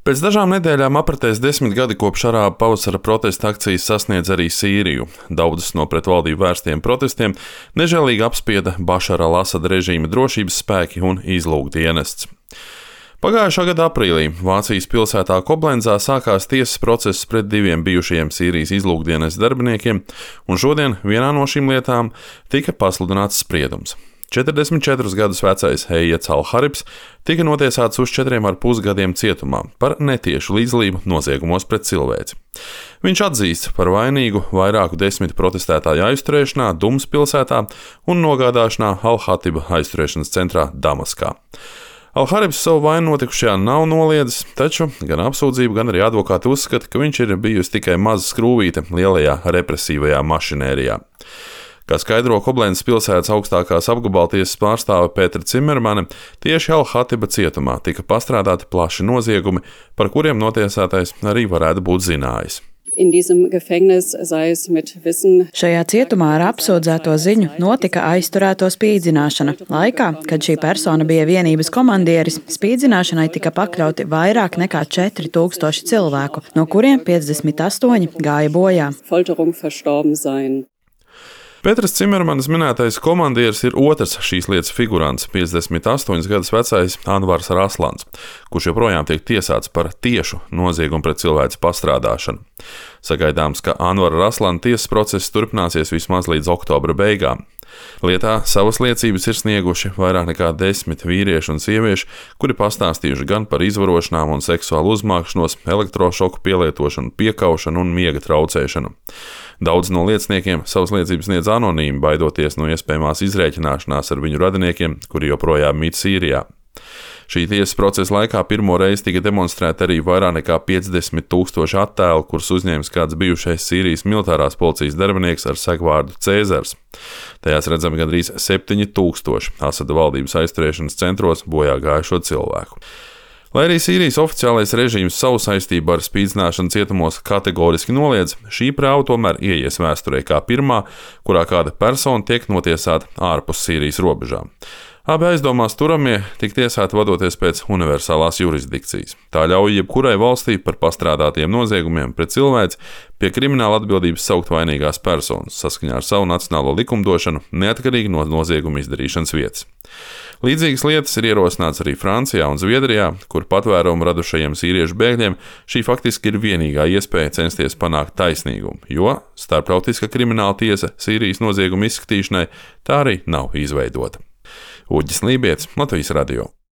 Pēc dažām nedēļām apritēs 10 gadi kopš arābu pavasara protesta akcijas sasniedz arī Sīriju. Daudzas no pretvaldību vērstiem protestiem nežēlīgi apspieda Bašara al-Asada režīma drošības spēki un izlūkdienests. Pagājušā gada aprīlī Vācijas pilsētā Koblenzā sākās tiesas process pret 2 bijušajiem Sīrijas izlūkdienestu darbiniekiem, un šodien vienā no šīm lietām tika pasludināts spriedums. 44 gadus vecais Ejets al-Haribs tika notiesāts uz 4,5 gadiem cietumā par netiešu līdzdalību noziegumos pret cilvēci. Viņš atzīst par vainīgu vairāku 10 protestētāju aizturēšanā Dumas pilsētā un nogādāšanā Al-Hatiba aizturēšanas centrā Damaskā. Al-Haribs savu vainu notikušajā nav noliedzis, taču gan apsūdzība, gan arī advokāti uzskata, ka viņš ir bijusi tikai maza skrūvīte lielajā represīvajā mašinērijā. Kā skaidro Koblenzas pilsētas augstākās apgabaltiesas pārstāve Pētra Cimermane, tieši Al-Hatiba cietumā tika pastrādāti plaši noziegumi, par kuriem notiesātais arī varētu būt zinājis. Šajā cietumā ar apsūdzēto ziņu notika aizturēto spīdzināšana. Laikā, kad šī persona bija vienības komandieris, spīdzināšanai tika pakļauti vairāk nekā 4000 cilvēku, no kuriem 58 gāja bojā. Pēters Cimermanis minētais komandieris ir otrs šīs lietas figurants, 58 gadus vecais Anvars Raslans, kurš joprojām tiek tiesāts par tiešu noziegumu pret cilvēci pastrādāšanu. Sagaidāms, ka Anvara Raslana tiesas process turpināsies vismaz līdz oktobra beigām. Lietā savas liecības ir snieguši vairāk nekā 10 vīrieši un sievieši, kuri pastāstījuši gan par izvarošanām un seksuālu uzmākšanos, elektrošoku pielietošanu, piekaušanu un miega traucēšanu. Daudz no lieciniekiem savas liecības sniedz anonīmi, baidoties no iespējamās izrēķināšanās ar viņu radiniekiem, kuri joprojām mīt Sīrijā. Šī tiesas procesa laikā pirmo reizi tika demonstrēta arī vairāk nekā 50 000 attēlu, kurus uzņēmis kāds bijušais Sīrijas militārās policijas darbinieks ar segvārdu Cēzars. Tajās redzami gandrīz 7000 Asada valdības aizturēšanas centros bojā gājušo cilvēku. Lai arī Sīrijas oficiālais režīms savu saistību ar spīdzināšanu cietumos kategoriski noliedz, šī prāva tomēr ieies vēsturē kā pirmā, kurā kāda persona tiek notiesāta ārpus Sīrijas robežām. Abi aizdomās turamie tika tiesāti vadoties pēc universālās jurisdikcijas. Tā ļauj jebkurai valstī par pastrādātiem noziegumiem pret cilvēci pie krimināla atbildības saukt vainīgās personas saskaņā ar savu nacionālo likumdošanu, neatkarīgi no nozieguma izdarīšanas vietas. Līdzīgas lietas ir ierosināts arī Francijā un Zviedrijā, kur patvērumu radušajiem sīriešu bēgļiem šī faktiski ir vienīgā iespēja censties panākt taisnīgumu, jo Starptautiskā krimināla tiesa Sīrijas noziegumu izskatīšanai tā arī nav izveidota. Uģis Lībietis, Latvijas radio.